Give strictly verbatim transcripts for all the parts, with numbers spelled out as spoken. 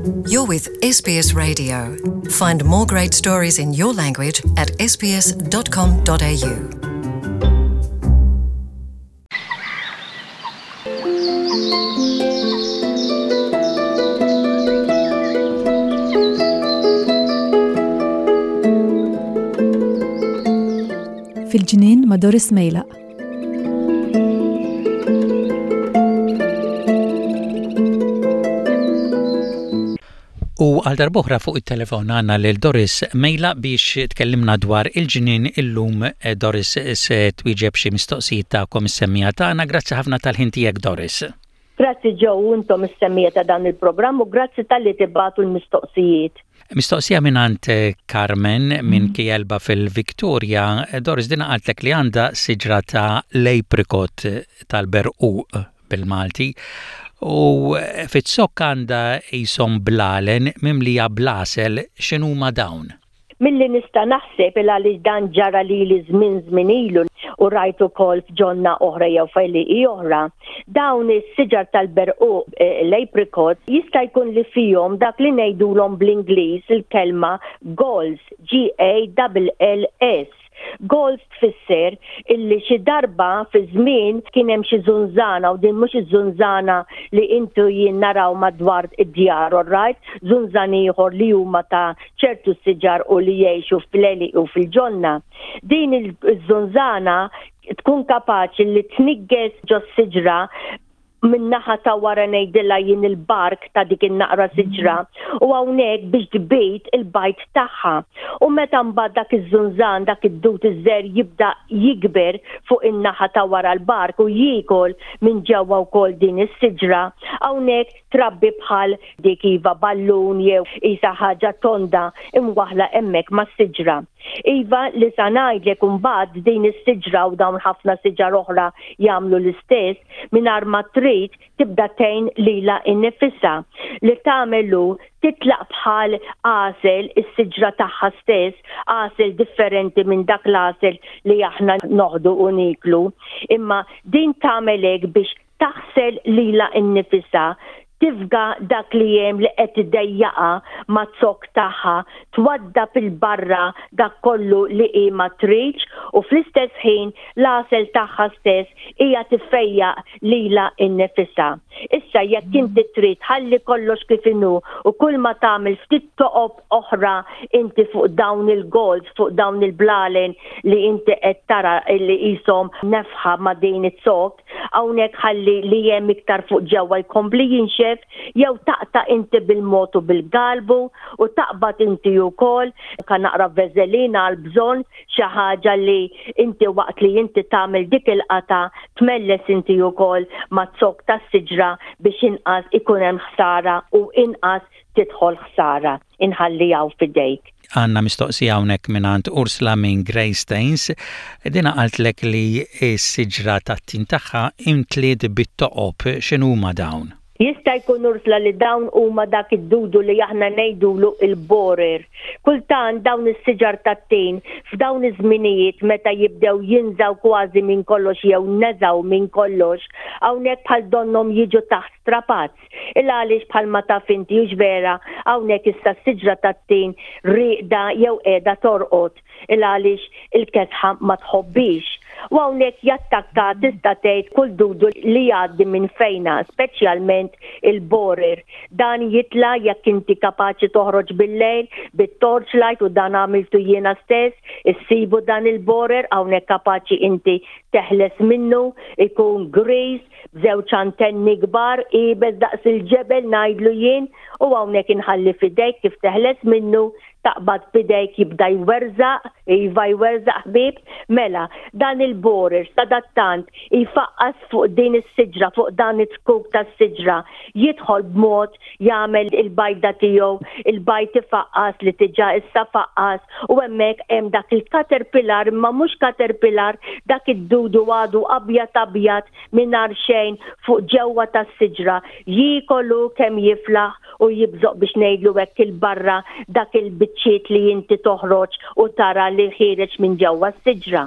You're with S B S Radio. Find more great stories in your language at S B S dot com dot A U. Fil-ġnien ma' Doris Mejlaq. U għal darb'oħra fuq it-telefon għandna lil Doris Mejlaq biex tkellimna dwar il-ġnien illum. eh, Doris se twieġeb xi mistoqsijiet tagħkom is-semmiegħa tagħna. Grazzi ħafna tal-ħin tiegħek, Doris. Grazzi Joe, intom is-semmiegħa ta' dan il-programm u grazzi talli tibagħtu l-mistoqsijiet. Mistoqsija minn eh, Carmen minn Kjelba fil-Victoria. Eh, Doris, dina qaltlek li għandha siġra ta' l-apricot, tal-berquq bil-Malti, u fiz-zokk għandha qishom blalen mimlija bl-għasel. X'inhuma dawn? Milli nista' naħseb, il għaliex dan ġara li li żmien żmien ilu u rajt ukoll f'ġonna oħra jew f'għelieqi oħra. Dawn is-siġar tal-berquq, eh, l-apricot, jista' jkun li fihom dak li ngħidulhom bl-Ingliż il-kelma galls, G A L L S. Galls tfisser illi xi darba fi żmien kien hemm xi żunżana, u din mhux iż-żunżana li intu jien naraw madwar id-djar, right? Żunżan ieħor li huma ta' ċertu siġar u li jgħixu fl-għelieqi u fil-ġonna. Din iż-żunżana tkun kapaċi li tniggeż ġo siġra min-naħa ta' wara, ngħidilha jien il-bark ta' dik in-naqra siġra, u hawnhekk biex tbid il-bajd tagħha. U meta mbagħad dak iż-żunżan, dak id-dud iż-żgħir jibda jikber fuq in-naħa ta' wara l-bark u jiekol minn ġewwa wkoll din is-siġra, hawnhekk trabbi bħal dik iva ballun jew isa ħaġa tonda imwaħla hemmhekk mas-siġra. Iva, li sa ngħidlek imbagħad din is-siġra u dawn ħafna siġar oħra jagħmlu l-istess, mingħajr ma trid tibda tgħin lilha innifisha. Li tagħmelu titlaq bħal għasel is-siġra tagħha stess, għasel differenti minn dak l-għasel li aħna noħdu u niklu. Imma din tagħmel hekk biex taħsel lilha innifisha, tifga dak li hemm li qed iddejjaqha maz-zokk tagħha, twaddab 'il barra dak kollu li hi ma tridx, u fl-istess ħin l-għasel tagħha stess hija tiffejjaq lilha innifisha. Issa jekk inti trid ħalli kollox kif inhu u kull ma tagħmel ftit toqob oħra inti fuq dawn il-galls, fuq dawn il-blalen li inti qed tara li qishom nefħa ma' din iz-zokk, hawnhekk ħalli li hemm iktar fuq ġewwa jkompli jinxef, jew taqta' inti bil-mod u bil-galbu u taqbad inti wkoll ka naqra veżelina għal bżonn, xi ħaġa li inti waqt li inti tagħmel dik il-qata tmelles inti wkoll maz-zokk tas-siġra biex inqas ikun hemm ħsara u inqas tidħol ħsara. Inħalli hawn f'idejk. Għandna mistoqsija hawnhekk mingħand Ursula minn Greystanes. Dina qaltlek li s-siġra tat-tin tagħha imtliet bit-toqob. X'inhuma dawn? Jista' jkun, Ursula, li dawn huma dak id-dudu li aħna ngħidulu il-borer. Kultant dawn is-siġar tat-tin f'dawn iż-żminijiet meta jibdew jinżaw kważi minn kollox jew neżaw minn kollox, hawnhekk bħal donnom jiġu taħt strapazz. Il għaliex bħal ma taf inti, hux vera, hawnhekk issa s-siġra tat-tin rieqda jew qiegħda torqod il għaliex il-kesħa ma tħobbix. U hawnhekk jattakka, tista' tgħid, kull dudu li jgħaddi minn fejna, speċjalment il-borer. Dan jitla jekk inti kapaċi toħroġ bil-lejl, bit-torchlight, u dan għamiltu jiena stess, issibu dan il-borer, hawnhekk kapaċi inti teħles minnu, ikun griż, b'żewġ antenni kbar, iebes daqs il-ġebel ngħidlu jien, u hawnhekk inħalli f'idejk kif teħles minnu. Taqbad b'idejk, jibda jwerżaq, iva jwerżaq ħbib, mela dan il-borer sadattant jfaqqas fuq din is-siġra, fuq dan it-zkuk tas-siġra, jidħol b'mod jagħmel il-bajda tiegħu, il-bajd ifaqqas li diġà issa faqqas, u hemmhekk hemm dak il-caterpillar, imma mhux caterpillar, dak id-dudu għadu abjad abjad mingħajr xejn fuq ġewwa tas-siġra, jiekolu kemm jiflaħ u jibżoq, biex ngħidlu hekk, 'il barra dak il-biċċiet li inti toħroġ u tara li ħiereġ minn ġewwa s-siġra.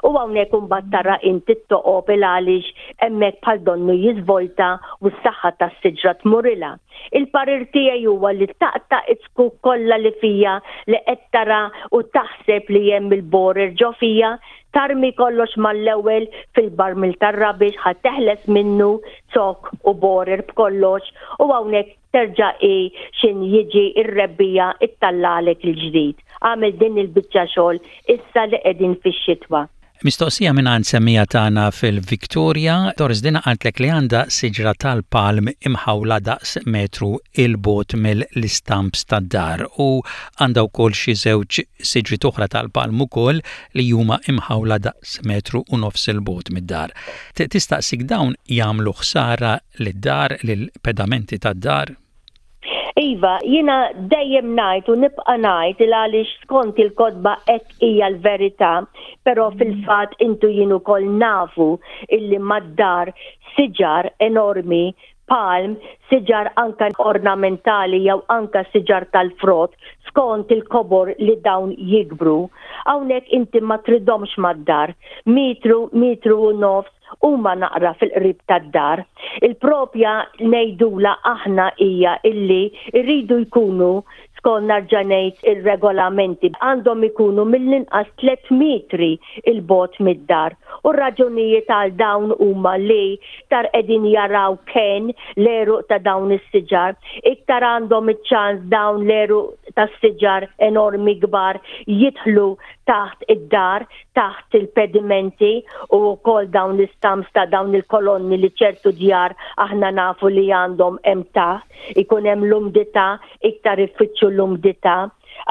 U hawnhekk imbagħad tara inti toqob il għaliex hemmhekk bħal donnu jiżvolta u s-saħħa tas-siġra tmurilha. Il-parir tiegħi huwa li taqta' iz-zkuk kollha li fija li qed tara u taħseb li hemm il-borer ġo fija, tarmi kollox mal-ewwel fil-barmil tar-rubbish ħa teħles minnu zokk u borer b'kollox u hawnhekk terġa' i xin jiġi ir-rebbiegħa ittallalek il-ġdid. Għamel din il-biċċa xogħol issa li qegħdin fix-xitwa. Mistoqsija minn għand semmiegħa tagħna fil-Victoria, Doris, dina qaltlek li għandha siġra tal-palm imħawla daqs metru 'il bogħod mill-istamps tad-dar u għandha wkoll xi żewġ siġri oħra tal-palm ukoll li huma imħawla daqs metru u nofs 'il bogħod mid-dar. Tistaqsik dawn jagħmlu ħsara lid-dar, lill-pedamenti tad-dar? Iva, jiena dejjem ngħid u nibqa' ngħid il għaliex skont il-kotba hekk hija l-verità, però fil-fatt intu jien ukoll nafu illi mad-dar siġar enormi, palm, siġar anka ornamentali jew anka siġar tal-frott, skont il-kobor li dawn jikbru. Hawnhekk inti ma tridhomx mad-dar, metru, metru u nofs huma naqra fil-qrib tad-dar. Il-propja ngħidula aħna hija illi rridu jkunu, skont nerġa' ngħid ir-regolamenti, għandhom ikunu mill-inqas tliet metri 'il bogħod mid-dar. U raġunijiet għal dawn huma li iktar qegħdin jaraw ken l-għeruq ta' dawn is-siġar, iktar għandhom iċ-ċans dawn l-għeruq tas-siġar enormi kbar jidħlu taħt id-dar, taħt il-pedimenti u wkoll dawn l-istamps ta' dawn il-kolonni li ċertu djar aħna nafu li għandhom hemm taħt, ikun hemm l-umdità, iktar ifittxu l-umdità.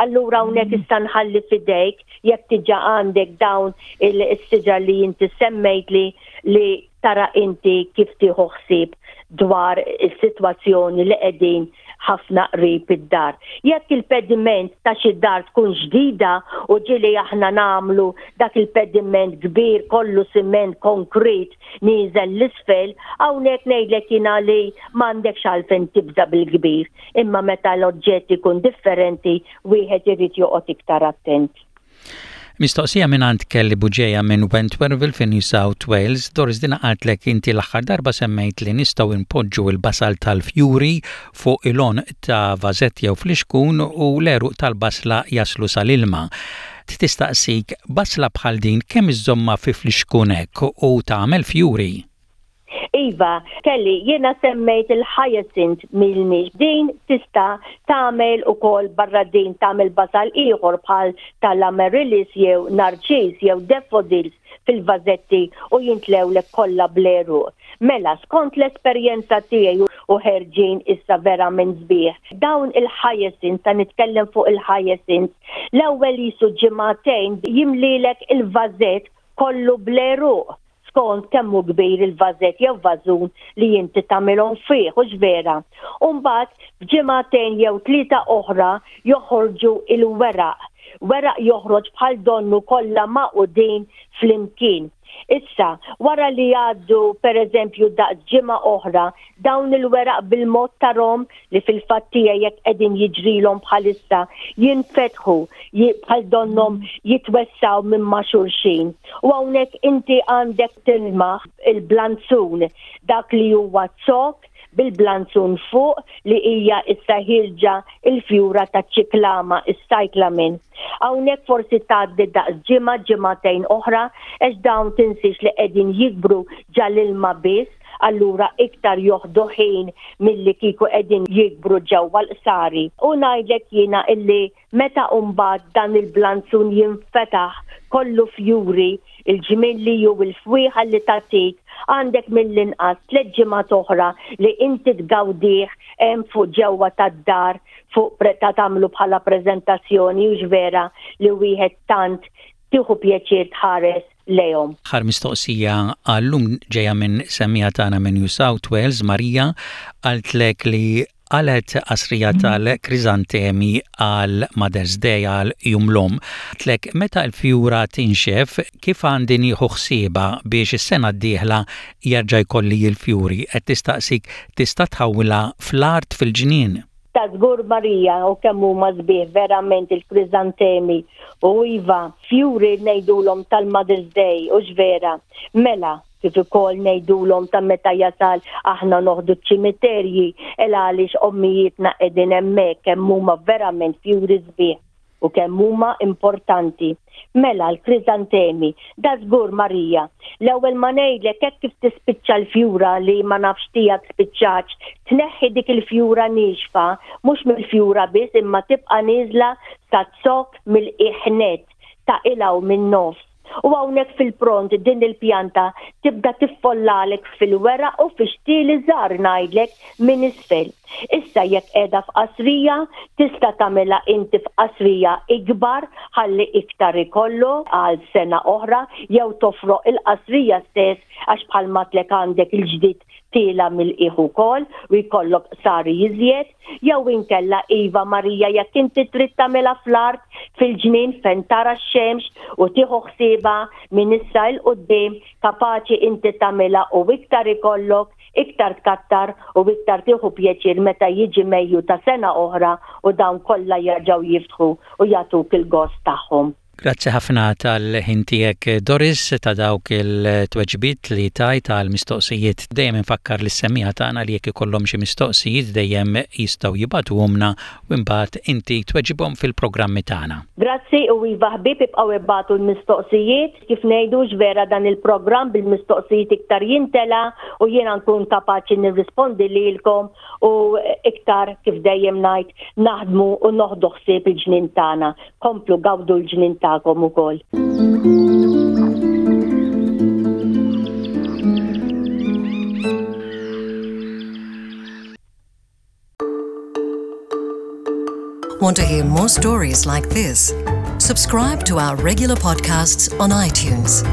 Allura hawnhekk issa nħalli fidejk jekk diġà għandek dawn il-siġar li inti semmejt li li tara inti kif tieħu ħsieb dwar is-sitwazzjoni li qegħdin ħafna qrib id-dar. Jekk il-pediment ta' xi dar tkun ġdida, u ġieli aħna nagħmlu dak il-pediment kbir kollu siment konkret nieżel 'l isfel, hawnhekk ngħidlek jiena li m'għandekx għalfejn tibża bil-kbir. Imma meta l-oġġett ikun differenti, wieħed irid joqgħod iktar attent. Mistoqsija minn għand Kelly Buġeja minn Wentworthville fi New South Wales. Doris, dina qaltlek inti l-aħħar darba semmejt li nistgħu npoġġu il-basal tal-fjuri fuq il-għonq ta' vażett jew flixkun u l-għeruq tal-basla jaslu sal-ilma. Tistaqsik, basla bħal din kemm iżżommha fi flixkun hekk u tagħmel fjuri? Iva, Kelly, jiena semmejt il-hyacinth milnix. Din tista' tagħmel ukoll barra din tagħmel basal ieħor bħal tal-amaryllis jew narċis jew daffodils fil-vażetti u jintlewlek kollha bl-għeruq. Mela, skont l-esperjenza tiegħi u ħerġin issa verament sbieħ. Dawn il-hyacinth, ta' nitkellem fuq il-hyacinth, l-ewwel jisu ġimagħtejn jimlilek il-vażett kollu bl-għeruq skont kemmu kbir il-vażett jew vażun li inti tagħmilhom fih, hux vera? Umbagħad f'ġimagħtejn jew tlieta oħra joħorġu il-weraq. Weraq joħroġ bħal donnu kollha magħqudin flimkien. Issa, wara li għaddu per eżempju daqs ġimgħa oħra, dawn il-weraq bil-mod tarahom li fil-fattija jekk qegħdin jiġrilhom bħalissa jinfetħu bħal donnom jitwessaw minn ma' xulxin. U hawnhekk inti għandek tilmaħ il-blanzun, dak li huwa zokk bil-blanzun fuq li hija issa ħirġa il-fjura ta' ċiklama, is-cyclamen. Hawnhekk forsi tgħaddi daqs ġimgħa, ġimagħtejn oħra, għax dawn tinsiex li qegħdin jikbru ġal-ilma biss, allura iktar joħdu ħin milli kieku qegħdin jikbru ġewwa l-qsari. U ngħidlek jiena illi meta mbagħad dan il-blanzun jinfetaħ kollu fjuri, il-ġmilli jew il-fwieħa li tatik, għandek mill-inqas tliet ġimgħat oħra li inti tgawdih hemm fuq ġewwa tad-dar fuq ta' tagħmlu bħala preżentazzjoni, u vera li wieħed tant tieħu pjaċir tħares lejhom. Aħħar mistoqsija għallum ġeja minn semmiegħa tagħna minn New South Wales, Marija, qaltlek li qalgħet qasrija tal-krizantemi għal Mother's Day, għal Jum l-Omm. Qaltlek meta l-fjura tinxef, kif għandi nieħu ħsiebha biex is-sena d-dieħla jerġa' jkolli l-fjuri? Qed tistaqsik tista' tħawwilha fl-art fil-ġnien. Ta' żgur, Marija, u kemm huma sbieħ verament il-krizantemi. U iva, fjuri ngħidulhom tal-Mother's Day, u vera. Mela, kif ukoll ngħidulhom ta' meta jasal aħna noħdu ċ-ċimiterji, el għaliex ommijietna qegħdin hemmhekk. Kemm huma verament fjuri sbieħ u kemm huma importanti. Mela l-krizantemi, da żgur, Marija, l-ewwel ma ngħidlek, hekk kif tispiċċa l-fjura, li ma nafx tiegħek spiċċax, tneħħi dik il-fjura niexfa, mhux mill-fjura biss imma tibqa' nieżla sa zokk mill-iħnet taqilgħu min-nofs. U hawnhekk fil-pront din il-pjanta tibda tiffollalek fil-weraq u fix-xtieli żgħar, ngħidlek, minn isfel. Issa jekk qiegħda f'qasrija, tista' tagħmilha inti f'qasrija ikbar ħalli iktar ikollu għal sena oħra, jew tofroq il-qasrija stess, għax bħalma għedtlek għandek il-ġdid tiela' mill-qiegħ ukoll u jkollok sari iżjed, jew inkella iva, Marija, jekk inti trid tagħmilha fl-art fil-ġnien fejn tara x-xemx u tieħu ħsiebha minn issa 'l quddiem, kapaċi inti tagħmilha u iktar ikollok, iktar tkattar u iktar tieħu pjaċir meta jiġi Mejju ta' sena oħra u dawn kollha jerġgħu jiftħu u jagħtuk il-gost tagħhom. Grazzi ħafna tal-ħin tiegħek, Doris, ta' dawk il-tweġibiet li tajt għal mistoqsijiet. Dejjem infakkar lis-semmiegħa tagħna li jekk ikollhom xi mistoqsijiet dejjem jistgħu jibagħtuhomlna u imbagħad inti tweġibhom fil-programmi tagħna. Grazzi, u iva ħbieb, ibqgħu ibagħtu l-mistoqsijiet. Kif ngħidu, vera, dan il-programm bil-mistoqsijiet iktar jintela u jiena nkun kapaċi nirrispondi lilkom u iktar, kif dejjem ngħid, naħdmu u noħdu ħsieb il-ġnien tagħna. Komplu gawdu l-ġnien tagħkom ukoll. Want to hear more stories like this? Subscribe to our regular podcasts on iTunes.